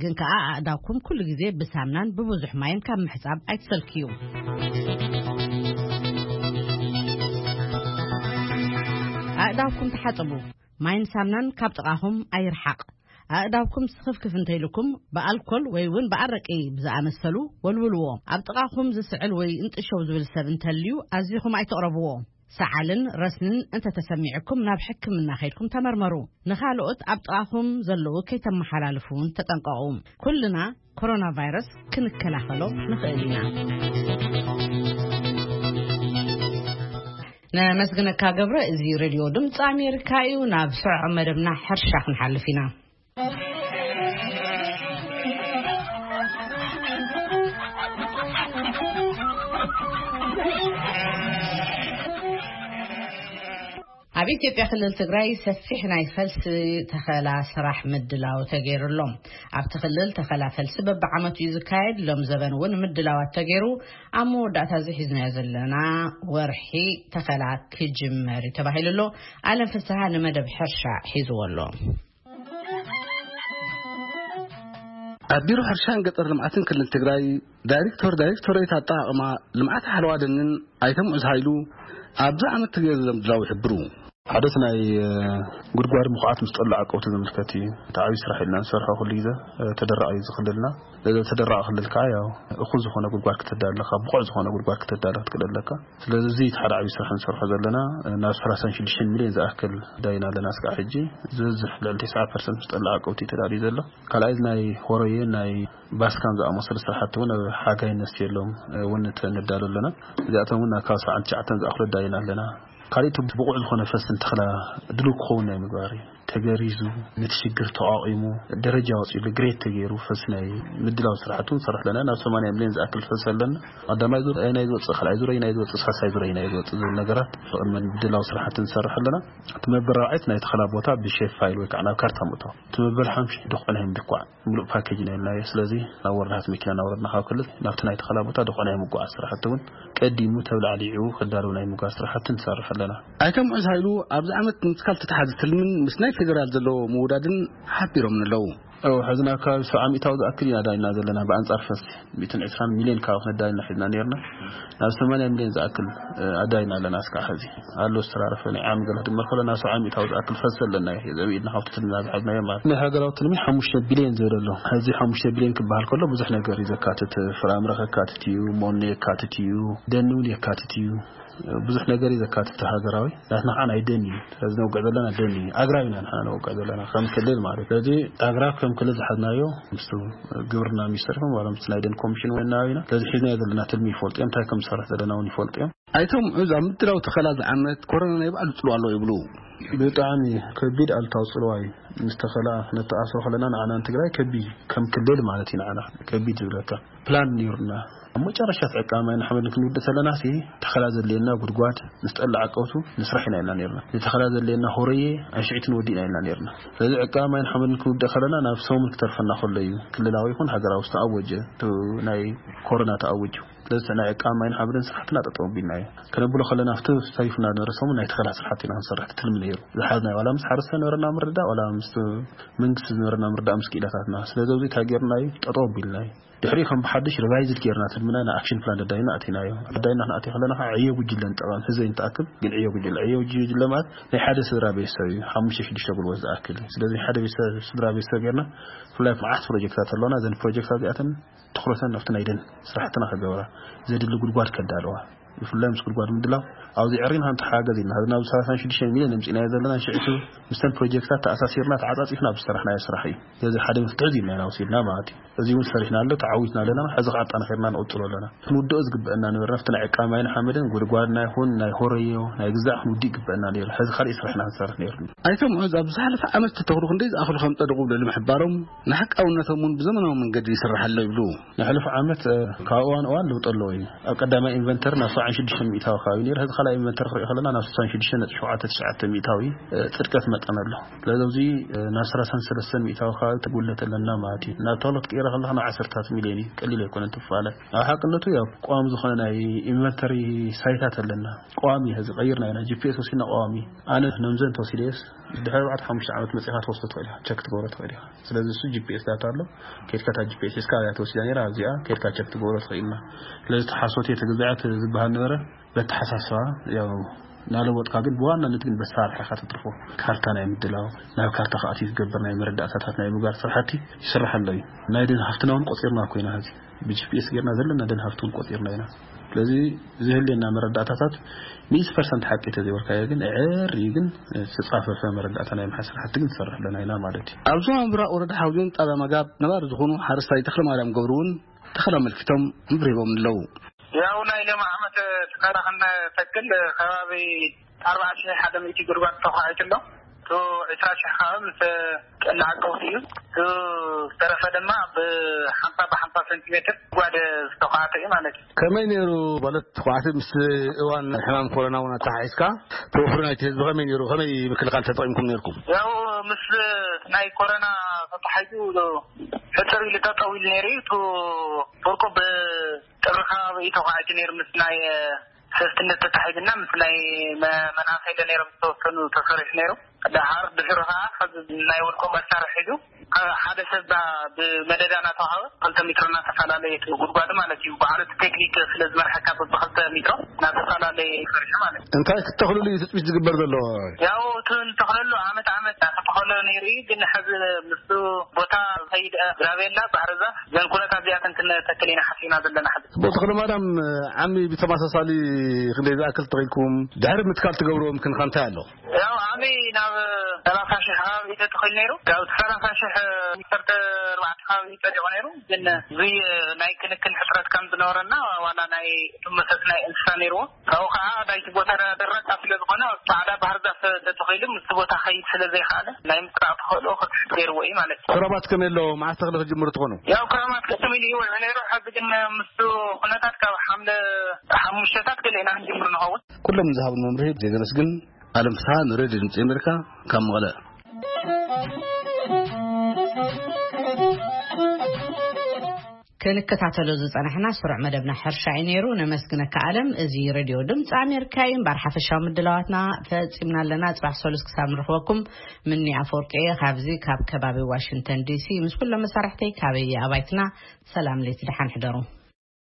ግን ከኣ ኣእዳውኩም ኩሉ ግዜ ብሳምናን ብብዙሕ ማይን ካብ ምሕጻብ ኣይትሰልክዩ። ኣእዳውኩም ተሓጽቡ፣ ማይን ሳምናን ካብ ጥቓኹም ኣይርሓቕ። ኣእዳውኩም ስኽፍክፍ እንተኢልኩም ብኣልኮል ወይ እውን ብኣረቂ ብዝኣመሰሉ ወልውልዎ። ኣብ ጥቓኹም ዝስዕል ወይ እንጥሸው ዝብል ሰብ እንተልዩ ኣዚኹም ኣይትቕረብዎ። ሰዓልን ረስንን እንተተሰሚዕኩም ናብ ሕክምና ከይድኩም ተመርመሩ። ንኻልኦት ኣብ ጥቓኹም ዘለዉ ከይተመሓላልፉ እውን ተጠንቀቑ። ኩልና ኮሮና ቫይረስ ክንከላኸሎ ንኽእል ኢና። ነመስግነካ ገብረ። እዚ ሬድዮ ድምፂ ኣሜሪካ እዩ። ናብ ስዑዕ መደብና ሕርሻ ክንሓልፍ ኢና። ኣብ ኢትዮጵያ ክልል ትግራይ ሰፊሕ ናይ ፈልሲ ተኸላ ስራሕ ምድላው ተገይሩ ኣሎ። ኣብቲ ክልል ተኸላ ፈልሲ በብዓመቱ እዩ ዝካየድ። ሎም ዘበን እውን ምድላዋት ተገይሩ ኣብ መወዳእታ እዚ ሒዝናዮ ዘለና ወርሒ ተኸላ ክጅመር እዩ ተባሂሉ ኣሎ። ኣለም ፍስሃ ንመደብ ሕርሻ ሒዝዎ ኣሎ። ኣብ ቢሮ ሕርሻን ገጠር ልምዓትን ክልል ትግራይ ዳይሬክተር ዳይሬክቶሬት ኣጠቓቕማ ልምዓት ሓለዋ ደንን ኣይተ ሙዑዝ ሃይሉ ኣብዚ ዓመት ተገይሩ ዘሎ ምድላው ይሕብሩ። ሓደ እቲ ናይ፣ እ፣ ጉድጓድ ምኹዓት ምስ ጠሉ ዓቀብቲ ዝምልከት እዩ። እቲ ዓብዪ ስራሕ ኢልና ንሰርሖ ኩሉ ግዜ፣ እ፣ ተደራቒ እዩ ዝኽልልና። እዚ ተደራቒ ክልል ከዓ ያው እኹል ዝኾነ ጉድጓድ ክተዳሊ ኣለካ፣ ብቑዕ ዝኾነ ጉድጓድ ክተዳሊ ክትክእል ኣለካ። ስለዚ እዚ እቲ ሓደ ዓብዪ ስራሕ ንሰርሖ ዘለና፣ እ፣ ናብ ሰላሳን ሽዱሽተን ሚልዮን ዝኣክል ዳይና ኣለና እስካዕ ሕጂ። ዝበዝሕ ልዕሊ ተስዓ ፐርሰንት ምስ ጠሉ ዓቀብቲ እዩ ተዳልዩ ዘሎ። ካልኣይ እዚ ናይ ሆረየ ናይ ባስካን ዝኣመሰሉ ስራሕቲ እውን ኣብ ሓጋይ ነስትየሎም እውን ተ-፣ ነዳሉ ኣለና። እዚኣቶም እውን ካብ ሰብዓን ትሽዓተን ዝኣኽሉ ኣዳሊና ኣለና። ካልእ እቲ ብቑዕ ዝኾነ ፈስን ተኽላ ድሉው ክኸውን ናይ ምግባር እዩ። ተገሪዙ፣ ነቲ ሽግር ተቋቒሙ፣ ደረጃ ወፂሉ፣ ግሬድ ተገይሩ ፈስ ናይ ምድላው ስራሕቲ እውን ንሰርሕ ኣለና። ናብ ሰማንያ ሚልዮን ዝኣክል ፈስ ኣለና። ቀዳማይ ዙር ኣየናይ ዝወፅእ፣ ካልኣይ ዙር ኣየናይ ዝወፅእ፣ ሳልሳይ ዙር ኣየናይ ዝወፅእ ዝብል ነገራት ብቕድመ ምድላው ስራሕቲ ንሰርሕ ኣለና። እቲ መበል ራብዓይ እቲ ናይ ተኽላ ቦታ ብሼፕ ፋይል ወይ ከዓ ናብ ካርታ ምእታው። እቲ መበል ሓምሽተ ድኹዒ ናይ ምድኳዕ። ምሉእ ፓኬጅ ኢና ኢልናዮ። ስለዚ ናብ ወረዳታት መኪና እናወረድና ካብ ክልል ናብቲ ናይ ተኸላ ቦታ ድኾነ ናይ ምጉዓዝ ስራሕቲ እውን ቀዲሙ ተብላዕሊዑ ክዳለዉ ናይ ምጉዓዝ ስራሕቲ ንሰርሕ ኣለና። ኣይተ ሙዑዝ ሃይሉ ኣብዚ ዓመት ምትካል ተተሓዘ ትልምን ምስ ናይ ፌዴራል ዘለዎ ምውዳድን ሓቢሮምን ኣለዉ። እው፣ ሕዚ ናብ ከባቢ ሰብዓ ሚእታዊ ዝኣክል ኢና ዳይና ዘለና። ብኣንጻር ፈስ ሚእትን ዕስራን ሚልዮን ካብ ክነዳይና ሒዝና ነርና። ናብ ሰማንያ ሚልዮን ዝኣክል፣ እ፣ ኣዳይና ኣለና። እስካዕ ሕዚ ኣሎ ዝተራረፈ ናይ ዓም ገለ ክድመር ከሎ ናብ ሰብዓ ሚእታዊ ዝኣክል ፈስ ኣለና እዩ። ዘብኢድና ካብቲ ትልሚ ናብ ዝሓዝናዮ ማለት። ናይ ሃገራዊ ትልሚ ሓሙሽተ ቢልዮን ዝብል ኣሎ። ሕዚ ሓሙሽተ ቢልዮን ክበሃል ከሎ ብዙሕ ነገር እዩ ዘካትት። ፍራምረ ከካትት እዩ፣ ሞኖ የካትት እዩ፣ ደኒ እውን የካትት እዩ። ብዙሕ ነገር እዩ ዘካትት ሃገራዊ። ናትና ከዓ ናይ ደን እዩ። ስለዚ ነውግዕ ዘለና ደን እዩ። ኣግራብ ኢና ንሕና ነውግዕ ዘለና ከም ክልል ማለት እዩ። ስለዚ ኣግራብ ከም ክልል ዝሓዝናዮ ምስ ግብርና ሚኒስተር ይኹን ዋላ ምስ ናይ ደን ኮሚሽን ወናዊ ኢና። ስለዚ ሒዝናዮ ዘለና ትልሚ ይፈልጡ እዮም። እንታይ ከም ዝሰርሕ ዘለና እውን ይፈልጡ እዮም። ኣይቶም ዕዝ ኣብ ምድላው ተኸላ ዝዓመት ኮሮና ናይ ባዕሉ ጽልዋ ኣለዎ ይብሉ። ብጣዕሚ ከቢድ ኣሉታዊ ጽልዋ እዩ። ምስ ተኸላ ነተኣስሮ ከለና ንዓና ንትግራይ ከቢድ እዩ። ከም ክልል ማለት እዩ ንዓና ከቢድ ዝብለካ። ፕላን ነይሩና። ኣብ መጨረሻ ዕቃ ማይን ሓመድን ክንውድእ ከለና ሲ ተኸላ ዘድልየና ጉድጓድ ምስ ጠላዕ ቀውቱ ንስራሕ ኢና ኢልና ነይርና። ንተኸላ ዘድልየና ሆረየ ኣንሽዒት ንወዲ ኢና ኢልና ነይርና። ስለዚ ዕቃ ማይን ሓመድን ክንውድእ ከለና ናብ ሰሙን ክተርፈና ከሎ እዩ ክልላዊ ይኹን ሃገራዊ ዝተኣወጀ፣ እቲ ናይ ኮሮና ተኣወጁ። ስለዚ ናይ ዕቃ ማይን ሓመድን ስራሕትና ጠጠው ኣቢልና እዩ። ከነብሎ ከለና ኣብቲ ተሪፉና ዝነበረ ሰሙን ናይ ተኸላ ስራሕቲ ኢና ክንሰርሕ ትልሚ ነይሩ። ዝሓዝናዮ ዋላ ምስ ሓረስቶት ዝነበረና ምርዳእ ዋላ ምስ መንግስቲ ዝነበረና ምርዳእ ምስ ክኢላታትና። ስለዚ ኣብዚ እንታይ ጌርና እዩ? ጠጠው ኣቢልና እዩ። ድሕሪ ከም ብሓድሽ ሪቫይዝድ ጌርና ትልምና ን ኣክሽን ፕላን ደዳይና ኣቲናዮ። ደዳይና ክንኣትዮ ከለና ከዓ ዕዮ ጉጅለ ንጠቐም፣ ህዝበይ ንተኣክብ፣ ግን ዕዮ ጉጅለ፣ ዕዮ ጉጅለ ማለት ናይ ሓደ ስድራ ቤተሰብ እዩ፣ ሓሙሽተ ሽዱሽተ ጉልበት ዝኣክል እዩ። ስለዚ ሓደ ቤተሰብ፣ ስድራ ቤተሰብ ጌርና ብፍላይ መዓት ፕሮጀክታት ኣለውና። እዘን ፕሮጀክታት እዚኣተን ትኹረተን ኣብቲ ናይ ደን ስራሕትና ከገብራ ዘድሊ ጉድጓድ ከዳለዋ፣ ብፍላይ ምስ ጉድጓድ ምድላው ኣብዚ ዕሪና ክንተሓጋገዝ ኢልና። ናብ ሰላሳን ሽዱሽተ ሚልዮን ኣምፂእናዮ ዘለና ሽዕቱ ምስተን ፕሮጀክታት ተኣሳሲርና ተዓፃፂፍና ኣብ ዝሰራሕናዮ ስራሕ እዩ። ስለዚ ሓደ መፍትሒ እዚ ኢልና ኢና ወሲድና ማለት እዩ። እዚ እውን ሰሪሕና ኣሎ፣ ተዓዊትና ኣለና። ሕዚ ከዓ ኣጠናኺርና ንቕፅሎ ኣለና። ክንውድኦ ዝግበአና ነበርና ኣብቲ ናይ ዕቃ ማይን ሓመድን ጉድጓድና ይኹን ናይ ሆረዮ ናይ ግዛዕ ክንውድእ ይግበአና ነይሩ። ሕዚ ካልእ ስራሕና ክንሰርሕ ነይሩ። ኣይቶም ዕዝ ኣብ ዝሓለፈ ዓመት ዝተተኽሉ ክንደይ ዝኣኽሉ ከም ጸደቑ ብምሕባሮም፣ ንሓቃውነቶም እውን ብዘመናዊ መንገዲ ይስራሕ ኣሎ ይብሉ። ንሕሉፍ ዓመት፣ እ፣ ካብ እዋን እዋን ለውጢ ኣለዎ እዩ። ኣብ ቀዳማይ ኢንቨንተሪ ናብ ሰብዓን ሽዱሽተ ሚእታዊ ከባቢ ነይሩ። ሕዚ ካልኣይ ኢንቨንተሪ ክሪኦ ከለና ናብ ስሳን ሽዱሽተ ነጥቢ ሸውዓተ ትሽዓተ ሚእታዊ፣ እ፣ ጽድቀት መጠን ኣሎ። ስለዚ ኣብዚ፣ እ፣ ናብ ሰላሳን ሰለስተን ሚእታዊ ከባቢ ተጉለት ኣለና ማለት እዩ። ናብ ቶሎ ትቀይረ ከለኻ ናብ ዓሰርታት ሚልዮን እዩ። ቀሊል ኣይኮነን ትፋለ። ኣብ ሓቅነቱ ያው ቋሚ ዝኾነ ናይ ኢንቨንተሪ ሳይታት ኣለና። ቋሚ ሕዚ ቀይርና ኢና። ጂ ፒ ኤስ ወሲድና ቋሚ። ኣነ ነምዘን ተወሲደስ ድሕሪ ኣርባዕተ ሓሙሽተ ዓመት መጺኻ ትወስዶ ትኽእል ኢኻ። ቸክ ትገብሮ ትኽእል ኢኻ። ስለዚ እሱ ጂ ፒ ኤስ ዳታ ኣሎ። ከድካ እታ ጂ ፒ ኤስ ሒዝካ ኣብያ ተወሲዳ ነይራ፣ ኣብዚኣ ከድካ ቸክ ትገብሮ ትኽእል ኢልና። ስለዚ ተሓሶት እየ ተገዛዐት ዝበሃል ነበረ። በተሓሳስባ ያው ናለወጥካ ግን ብዋናነት ግን በሳርሕ ኢኻ ተትርፎ። ካርታ ናይ ምድላው፣ ናብ ካርታ ከኣትዩ ዝገብር ናይ መረዳእታታት ናይ ምግባር ስራሕቲ ይስራሕ ኣሎ እዩ። ናይ ደን ሃፍትና እውን ቆጺርና እኮ ኢና ሕዚ። ብ ጂ ፒ ኤስ ጌርና ዘለና ደን ሃፍቲ እውን ቆጺርና ኢና። ስለዚ ዝህልየና መረዳእታታት ሚእቲ ፐርሰንት ሓቂ ተዘይበልካዮ ግን ዕር እዩ፣ ግን ዝተጻፈፈ መረዳእታ ናይ ምሓዝ ስራሕቲ ግን ትሰርሕ ኣለና ኢና ማለት እዩ። ኣብ ዞባ ምብራቕ ወረዳ ሓውዜን ጣብያ መጋብ ነባሪ ዝኾኑ ሓረስታይ ተኽለ ማርያም ገብሩ እውን ተኸላ ኣመልኪቶም ምብርሂቦም ኣለዉ። ያው ናይ ሎም ዓመት ተኸላ ክንተክል ከባቢ ኣርባዓ ሽሕ ሓደ ሚእቲ ጉድጓድ ተዃዒቱ ኣሎ። እቲ ዕስራ ሽሕ ከዓ ምስ ጠላዕ ቀውሲ እዩ። እቲ ዝተረፈ ድማ ብሓምሳ ብሓምሳ ሴንቲሜትር ጉድጓድ ዝተዃዕተ እዩ ማለት እዩ። ከመይ ነይሩ ማለት ተዃዕቲ ምስ እዋን ሕማም ኮሮና እውን ኣተሓሒዝካ ተወፍሪ ናይቲ ህዝቢ ከመይ ነይሩ? ከመይ ምክልኻል ተጠቒምኩም ነይርኩም? ያው ምስ ናይ ኮሮና ተተሓሒዙ ሕጽር ኢሉ ጠጠው ኢሉ ነይሩ እዩ። እቲ ፍርቁ ብጥሪ ከባቢ እዩ ተዃዒቱ ነይሩ ምስ ናይ ሰስትነት ተታሒዝና ምስ ናይ መ-፣ መናእሰይ ዶ ነይሮም ዝተወሰኑ ተሰሪሑ ነይሩ። ደሓር ድሕሪ ከዓ ሕዚ ናይ ውልቆ መሳርሒ ሒዙ፣ እ፣ ሓደ ሰብ ዳ-፣ ብመደዳ እናተዋሃበ ክልተ ሜትሮ እናተፈላለየ እቲ ጉድጓድ ማለት እዩ። በዓል እቲ ቴክኒክ ስለ ዝመርሐካ በብክልተ ሜትሮ እናተፈላለየ ይሰርሑ ማለት እዩ። እንታይ ክትተኽልሉ እዩ ትፅቢት ዝግበር ዘሎ? ያው እቲ ንተኽለሉ ዓመት ዓመት እናተተኸለ ነይሩ እዩ፣ ግን ሕዚ ምስቲ ቦታ ከይድ ግራቤላ፣ ባህሪ ዛፍ፣ ዘን ኩነታት እዚኣተን ክንተክል ኢና ሓሲብና ዘለና ሕዚ። ጽቡቕ ተኽለ ማርያም፣ ዓሚ ብተመሳሳሊ ክንደይ ዝኣክል ተኺልኩም? ድሕሪ ምትካል ትገብርዎ ምክንኻ እንታይ ኣሎ? ያው ዓሚ ናብ ሰላሳ ሽሕ ከባቢ እዩ ተተኺሉ ነይሩ። ያው እቲ ሰላሳ ሽሕ ዓሰርተ ኣርባዕተ ከባቢ እዩ ጸዲቑ ነይሩ። ግን እዚ ናይ ክንክን ሕጽረት ከም ዝነበረና ዋላ ናይ እቶም መሰስ ናይ እንስሳ ነይርዎ። ካብኡ ከዓ ናይቲ ቦታ ደረቕ ስለ ዝኾነ ጻዕዳ ባህር ዛፍ ተተኺሉ ምስቲ ቦታ ከይድ ስለ ዘይከኣለ ናይ ምጥራቕ ተኽእሎ ክትሕት ገይርዎ እዩ ማለት እዩ። ክረማት ከመይ ኣሎ? መዓስ ተኽሊ ክጅምሩ ትኾኑ? ያው ክረማት ቅድም ኢሉ ይውዕል ነይሩ። ሕዚ ግን ምስቲ ኩነታት ካብ ሓምለ ሓሙሽተታት ገለ ኢና ክንጅምር ንኸውን። ኩሎም ንዝሃቡን መምርሒ ብዘይ ዘመስግን ኣለም ፍስሓ ንሬድዮ ድምፂ ኣሜሪካ ካብ መቐለ። ክንከታተሎ ዝጸናሕና ስሩዕ መደብና ሕርሻ እዩ ነይሩ። ነመስግነካ ኣለም። እዚ ሬድዮ ድምፂ ኣሜሪካ እዩ። እምበር ሓፈሻዊ ምድላዋትና ፈጺምና ኣለና። ጽባሕ ሰሉስ ክሳብ ንረኽበኩም፣ ምኒ ኣፈወርቂ እየ ካብዚ ካብ ከባቢ ዋሽንግተን ዲሲ ምስ ኩሎም መሳርሕተይ ካበየ ኣባይትና። ሰላም ለይቲ ደሓን ሕደሩ።